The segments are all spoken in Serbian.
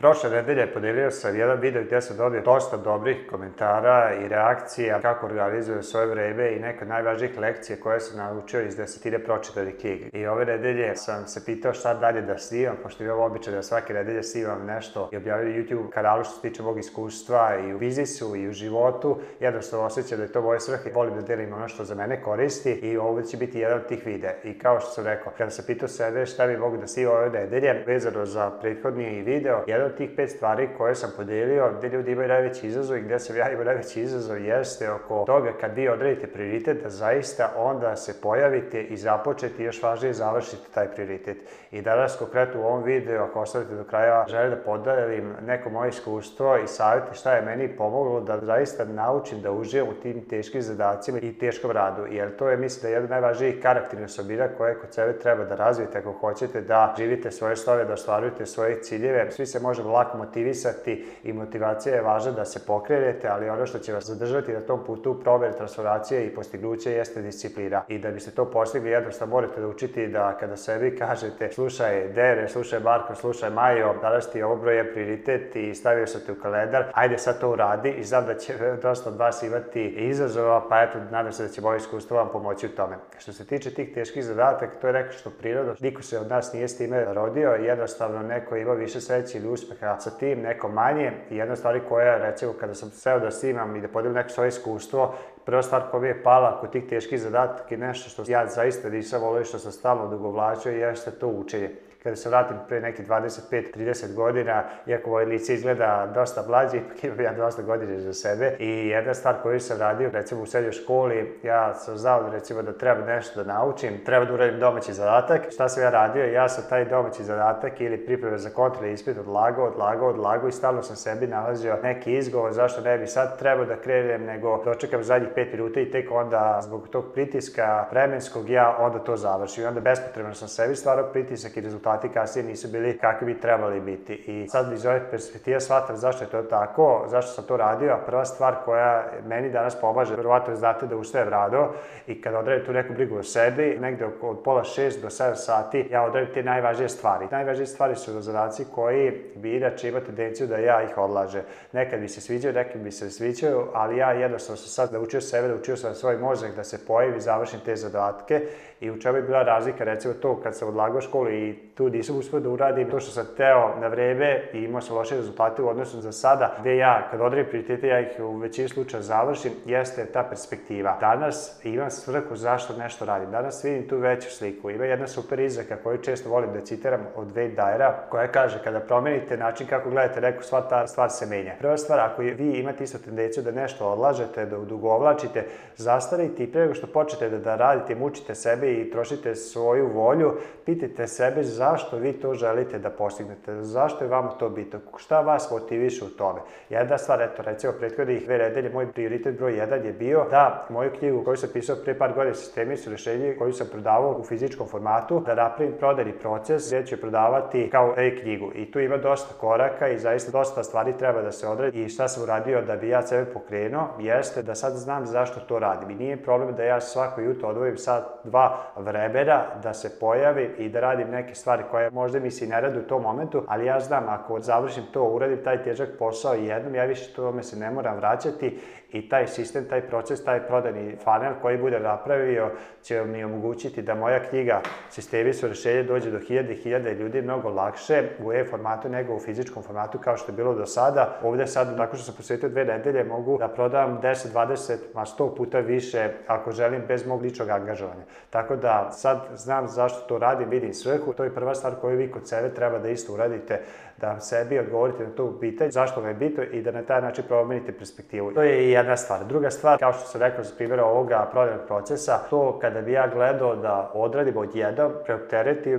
Prošle nedelje podelio sam jedan video gdje sam dobio dosta dobrih komentara i reakcija kako organizuju svoje vreme i neke od najvažnijih lekcija koje sam naučio iz 10 pročitanih knjiga. I ove nedelje sam se pitao šta dalje da snimam, pošto imam običaj da svake nedelje snimam nešto i objavljam YouTube kanalu što se tiče mog iskustva i u biznisu i u životu. Jednostavno osjećam da je to moje svrhe i volim da delim ono što za mene koristi i ovo će biti jedan od tih videa. I kao što sam rekao, kada sam pitao sebe šta mi mogu da snimam ove nedelje, vezano za prethodni video, jedan od tih 5 stvari koje sam podelio gdje ljudi imaju najveći izazov i gdje sam ja imao najveći izazov jeste oko toga kad vi odredite prioritet da zaista onda se pojavite i započeti, još važnije završite taj prioritet. I danas konkretno u ovom videu, ako ostavite do kraja, želim da podelim neko moje iskustvo i savjeti šta je meni pomoglo da zaista naučim da uživam u tim teškim zadacima i teškom radu. Jer to je, mislim, da je jedna od najvažnijih karakternih osobina koje kod sebe treba da razvijete ako hoćete da živite svoje snove, da ostvarujete svoje ciljeve. Svi se možemo lako motivisati i motivacija je važna da se pokrenete, ali ono što će vas zadržati na tom putu promene, transformacije i postignuće jeste disciplina. I da biste to postigli, jednostavno morate da učiti da kada sebi kažete slušaj Dere, slušaj Marko, slušaj Majo, danas ti ovo broj je prioritet i stavio sam te u kalendar, ajde sad to uradi i znam da će dosta od vas imati izazova, pa eto, nadam se da će moje iskustvo vam pomoći u tome. Što se tiče tih teških zadataka, to je neko što prirodno, niko se od nas nije s time rodio, jednostavno neko ima više sreće ili uspeha sa tim, neko manje. I jedna stvar koja, recimo, kada sam seo da snimam i da podelim neko svoje iskustvo, prva stvar koja mi je pala kod tih teških zadataka i nešto što ja zaista nisam volio i što sam stalno odugovlačio jeste to učenje. Kada se vratim pre nekih 25-30 godina, iako moje lice izgleda dosta mlađe, ipak imam ja dosta godina za sebe. I jedna stvar koju sam radio, recimo u srednjoj školi, ja sam znao recimo da treba nešto da naučim, treba da uradim domaći zadatak. Šta sam ja radio? Ja sam taj domaći zadatak ili pripreme za kontrolni ispit odlagao i stalno sam sebi nalazio neki izgovor zašto ne bi sad trebao da krenem, nego dočekam zadnjih 5 minuta i tek onda zbog tog pritiska vremenskog ja onda to završim. I onda bespotrebno sam sebi stvarao pritisak i rezultati kasnije nisu bili kakvi bi trebali biti. I sad iz ove perspektive shvatam zašto je to tako, zašto sam to radio, a prva stvar koja meni danas pomaže, verovatno znate da ustajem rado i kada odradim tu neku brigu o sebi, negde od pola 6 do 7 sati, ja odradim te najvažnije stvari. Najvažnije stvari su zadaci koji bi inače ima tendenciju da ja ih odlaže. Nekad mi se sviđaju, nekad mi se ne sviđaju, ali ja jednostavno sam sad naučio sebe, naučio sam svoj mozak da se pojavi i završim te zadatke. I u čemu je bila razlika, recimo to kad sam odlagao školu i tu nisam uspio da uradim to što sam teo na vreme i imao sam loše rezultate u odnosu za sada, gde ja kad odredim prioritete, ja ih u većini slučaja završim, jeste ta perspektiva. Danas imam svrhu zašto nešto radim. Danas vidim tu veću sliku. Ima jedna super izreka koju često volim da citiram od Wayne Dyera, koja kaže kada promenite način kako gledate neku stvar, ta stvar se menja. Prva stvar, ako vi imate isto tendenciju da nešto odlažete, da odugovlačite, zastanite i pre nego što počnete da radite, mučite sebe i trošite svoju volju, pitajte sebe zašto vi to želite da postignete, zašto je vama to bitno, šta vas motiviše u tome. Jedna stvar, eto, recimo prethodnih 2 nedelje, moj prioritet broj 1 je bio da moju knjigu koju sam pisao pre par godina, Sistemi su rešenje, koju sam prodavao u fizičkom formatu, da napravim prodajni proces gdje ću je prodavati kao e-knjigu. I tu ima dosta koraka i zaista dosta stvari treba da se odradi. I šta sam uradio da bi ja sebe pokrenuo, jeste da sad znam zašto to radim. I nije problem da ja svako jutro odvojim sat, 2 vremena da se pojavim i da radim neke stvari koje možda mi se i ne rade u tom momentu, ali ja znam ako završim to, uradim taj težak posao jednom, ja više tome se ne moram vraćati i taj sistem, taj proces, taj prodajni funnel koji bude napravio će mi omogućiti da moja knjiga Sistemi su rešenje dođe do 1000 ljudi mnogo lakše u e-formatu nego u fizičkom formatu kao što je bilo do sada. Ovde sad, tako što sam posvetio 2 nedelje, mogu da prodam 10, 20, 100 puta više ako želim bez mog ličnog angažovanja. Tako da sad znam zašto to radim, vidim svrhu. To je prva stvar koju vi kod sebe treba da isto uradite, da sebi odgovorite na to pitanje zašto vam je bitno i da na taj način promenite perspektivu. To je i jedna stvar. Druga stvar, kao što sam rekao za primjer ovoga prodajnog procesa, to kada bi ja gledao da odradim odjednom, preopteretio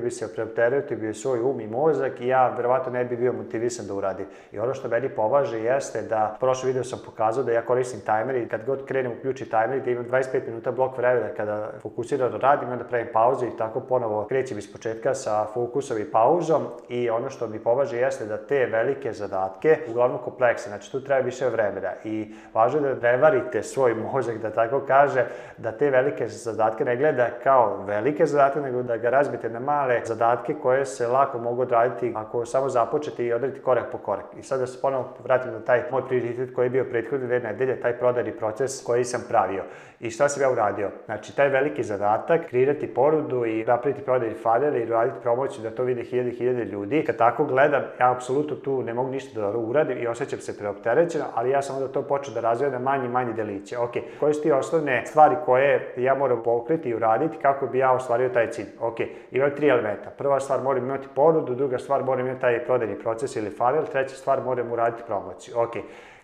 bi svoj um i mozak i ja verovatno ne bi bio motivisan da uradim. I ono što meni pomaže jeste da, prošle video sam pokazao da ja koristim tajmer i kad god krenem uključi tajmer gde imam 25 minuta blok vremena kada fokusirano radim, onda pravim pauzu i tako ponovo krećem iz početka sa fokusom i pauzom. I ono što mi pomaže jeste jeste da te velike zadatke, uglavnom komplekse, znači tu treba više vremena i važno je da prevarite svoj mozak, da tako kaže, da te velike zadatke ne gleda kao velike zadatke, nego da ga razbijete na male zadatke koje se lako mogu odraditi ako samo započete i odradite korak po korak. I sad da se ponovno vratim na taj moj prioritet koji je bio prethodne 2 nedelje, taj prodajni proces koji sam pravio. I šta sam ja uradio? Znači, taj veliki zadatak, kreirati ponudu i napraviti prodajni funnel i raditi promociju da to vide hiljade ljudi. Kad tako gledam, ja apsolutno tu ne mogu ništa da uradim i osjećam se preopterećeno, ali ja sam onda to počeo da razvijam na manji deliće. Ok, koje su ti osnovne stvari koje ja moram pokriti i uraditi kako bi ja ostvario taj cilj? Ok, imam 3 elementa. Prva stvar, moram imati ponudu, druga stvar, moram imati taj prodajni proces ili funnel, treća stvar, moram uraditi promociju. Ok,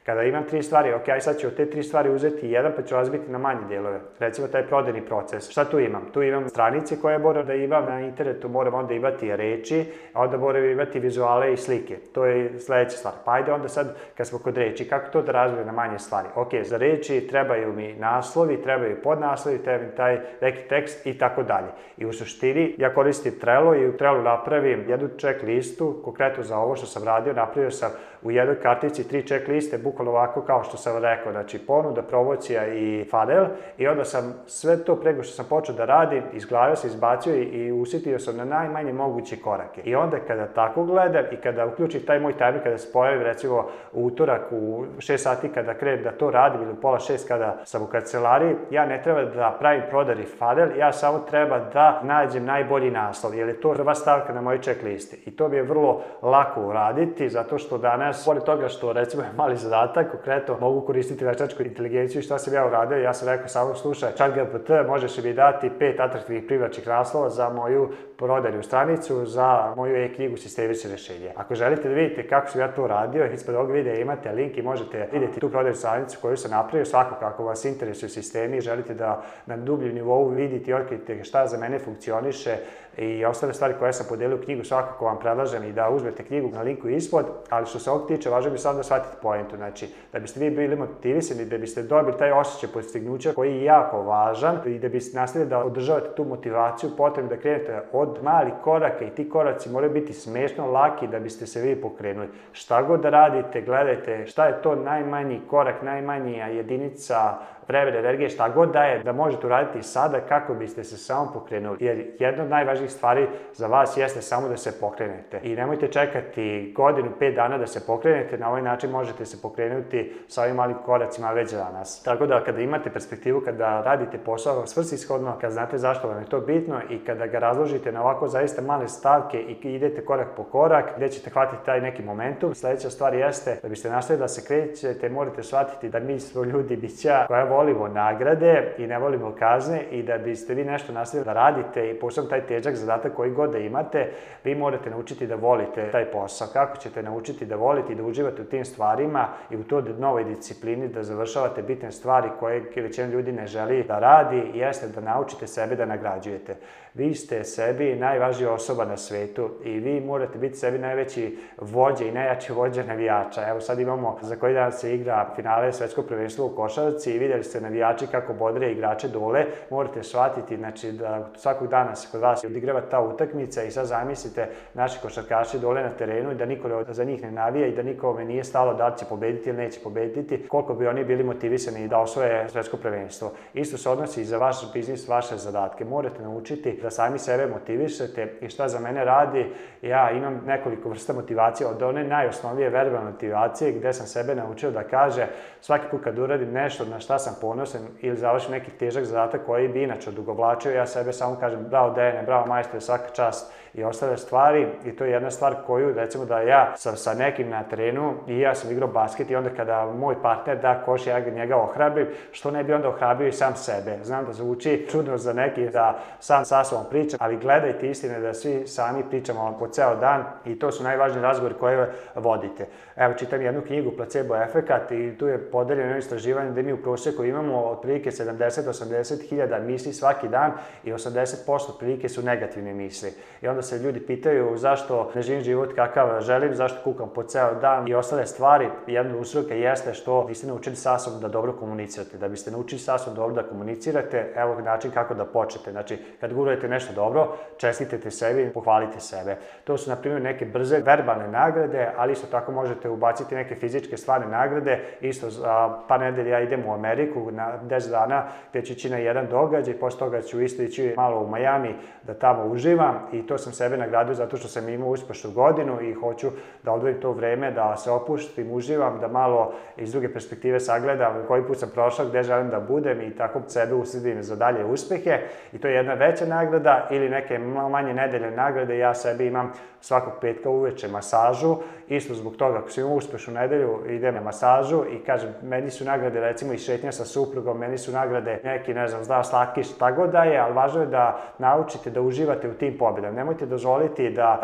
kada imam 3 stvari, ok, sad ću od te 3 stvari uzeti jedan pa ću razbiti na manje delove. Recimo taj prodajni proces. Šta tu imam? Tu imam stranice koje moram da imam na internetu, moram onda imati reči, a onda moram imati vizuale i slike. To je sledeća stvar. Pa ajde onda sad, kad smo kod reči, kako to da razbijem na manje stvari? Ok, za reči trebaju mi naslovi, trebaju podnaslovi, treba mi taj neki tekst i tako dalje. I u suštini, ja koristim Trello i u Trello napravim jednu check listu, konkretno za ovo što sam radio, napravio sam u jednoj kartici 3 check liste, bukvalno ovako kao što sam rekao, znači ponuda, promocija i funnel, i onda sam sve to prego što sam počeo da radim, iz glave se izbacio i usitio sam na najmanje moguće korake. I onda kada tako gledam i kada uključim taj moj timer, kada se pojavim recimo u utorak u 6 sati kada krenem da to radim ili u pola 6 kada sam u kancelariji, ja ne treba da pravim prodajni funnel, ja samo treba da nađem najbolji naslov, jer je to prva stavka na mojoj check listi. I to mi je vrlo lako uraditi, zato što danas, pored toga što recimo je mali zadatak, konkretno mogu koristiti veštačku inteligenciju i šta sam ja uradio, ja sam rekao samo slušaj, ChatGPT možeš mi dati 5 atraktivnih privlačnih naslova za moju prodajnu stranicu, za moju e-knjigu sistemične rešenje. Ako želite da vidite kako sam ja to uradio, ispred ovog videa imate link i možete vidjeti tu prodajnu stranicu koju sam napravio. Svakako, ako vas interesuju sistemi i želite da na dubljem nivou vidite i otkrijete šta za mene funkcioniše i ostale stvari koje sam podelio u knjigu, svakako vam predlažem i da uzmete knjigu na linku ispod, ali što se ovog tiče, važno bi samo da shvatite pojentu. Znači, da biste vi bili motivisani, da biste dobili taj osjećaj postignuća koji je jako važan i da biste nastavili da održavate tu motivaciju, potrebno da krenete od malih koraka i ti koraci moraju biti smešno laki da biste se vi pokrenuli. Šta god da radite, gledajte šta je to najmanji korak, najmanja jedinica vremena, energije, šta god da je, da možete uraditi sada kako biste se samo pokrenuli. Jer jedna od najvažnijih stvari za vas jeste samo da se pokrenete. I nemojte čekati godinu, 5 dana da se pokrenete, na ovaj način možete se pokrenuti sa ovim malim koracima već danas. Tako da kada imate perspektivu, kada radite posao svrsishodno, kada znate zašto vam je to bitno i kada ga razložite na ovako zaista male stavke i idete korak po korak, gde ćete hvatiti taj neki momentum, sledeća stvar jeste da biste nastavili da se krećete, morate shvatiti da mi smo ljudi bića koja volimo nagrade i ne volimo kazne i da biste vi nešto nastavili da radite i posebno taj težak zadatak koji god da imate, vi morate naučiti da volite taj posao. Kako ćete naučiti da volite i da uživate u tim stvarima i u toj novoj disciplini da završavate bitne stvari koje većina ljudi ne želi da radi, jeste da naučite sebe da nagrađujete. Vi ste sebi najvažnija osoba na svetu i vi morate biti sebi najveći vođa i najjači vođa navijača. Evo sad imamo za koji dan se igra finale svetskog prvenstva u košarci i vidjeli ste navijači kako bodre igrače dole. Morate shvatiti znači, da svakog dana se kod vas odigrava ta utakmica i sad zamislite naši košarkaši dole na terenu i da niko za njih ne navija i da nikome nije stalo da će pobediti ili neće pobediti, koliko bi oni bili motivisani da osvoje svetsko prvenstvo. Isto se odnosi i za vaš biznis, vaše zadatke. Morate naučiti da sami sebe motivišete i šta za mene radi. Ja imam nekoliko vrsta motivacije, od one najosnovnije verbalne motivacije gde sam sebe naučio da kaže svaki put kad uradim nešto na šta sam ponosan ili završim neki težak zadatak koji bi inače odugovlačio, ja sebe samo kažem bravo Dejane, bravo majstore, svaka čast i ostale stvari. I to je jedna stvar koju, recimo da ja sam sa nekim na terenu i ja sam igrao basket i onda kada moj partner da koš, ja njega ohrabrim, što ne bi onda ohrabrio i sam sebe. Znam da zvuči čudno za neki da sam sa sobom pričam, ali gledajte istine da svi sami pričamo po ceo dan i to su najvažniji razgovori koje vodite. Evo, čitam jednu knjigu Placebo efekat i tu je podeljeno istraživanje da mi u prosjeku imamo otprilike 70-80 hiljada misli svaki dan i 80% otprilike su negativne. negativne misli. I onda se ljudi pitaju zašto ne živim život kakav želim, zašto kukam po ceo dan i ostale stvari. Jedna od uzroka jeste što niste naučili sa sobom da dobro komunicirate. Da biste naučili sa sobom dobro da komunicirate, evo način kako da počnete. Znači, kad gurujete nešto dobro, čestitajte sebi i pohvalite sebe. To su, na primjer, neke brze verbalne nagrade, ali isto tako možete ubaciti neke fizičke stvarne nagrade. Isto za par nedelja ja idem u Ameriku na 10 dana gde ću ići na jedan događaj, posle toga ću isto ići malo u Miami da tamo uživam i to sam sebe nagradio zato što sam imao uspešnu godinu i hoću da odvojim to vreme, da se opuštim, uživam, da malo iz druge perspektive sagledam koji put sam prošao, gde želim da budem i tako sebe usredim za dalje uspehe i to je jedna veća nagrada ili neke manje nedeljne nagrade. Ja sebi imam svakog petka uveče masažu, isto zbog toga ako sam imao uspešnu nedelju idem na masažu i kažem, meni su nagrade recimo i šetnja sa suprugom, meni su nagrade neki, ne znam, zdrav slatkiš, šta god da je, ali važno je da naučite da uživate u tim pobedama. Nemojte dozvoliti da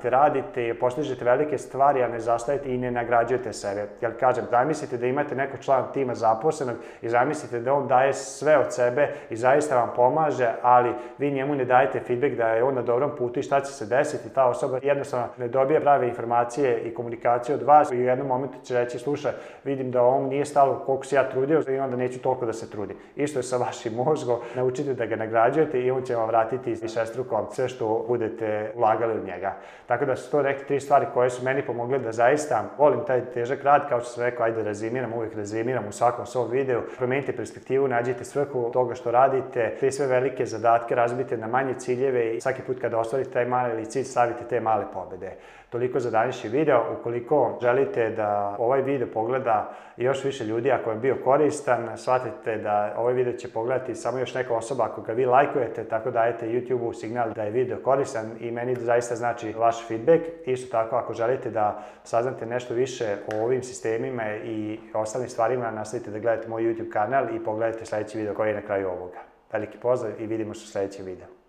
radite i postižete velike stvari, a ne zastajete i ne nagrađujete sebe. Jer kažem, zamislite da imate neko član tima zaposlenog i zamislite da on daje sve od sebe i zaista vam pomaže, ali vi njemu ne dajete feedback da je on na dobrom putu i šta će se desiti. Ta osoba jednostavno ne dobije prave informacije i komunikaciju od vas i u jednom momentu će reći, slušaj, vidim da ovom nije stalo koliko se ja trudio i onda neću toliko da se trudi. Isto je sa vašim mozgom, naučite da ga nagrađujete i on će vam vratiti višestruko sve što budete ulagali u njega. Tako da su to neke 3 stvari koje su meni pomogle da zaista volim taj težak rad, kao što sam rekao, ajde rezimiram, uvijek rezimiram u svakom svom videu. Promenite perspektivu, nađite svrhu toga što radite, te sve velike zadatke razbite na manje ciljeve i svaki put kada ostvarite taj mali cilj stavite te male pobede. Toliko za današnji video. Ukoliko želite da ovaj video pogleda još više ljudi, ako je bio koristan, shvatite da ovaj video će pogledati samo još neka osoba ako ga vi lajkujete, tako dajete YouTube-u signal da je video koristan i meni zaista znači vaš feedback. Isto tako, ako želite da saznate nešto više o ovim sistemima i ostalim stvarima, nastavite da gledate moj YouTube kanal i pogledajte sledeći video koji je na kraju ovoga. Veliki pozdrav i vidimo se u sledećem videu.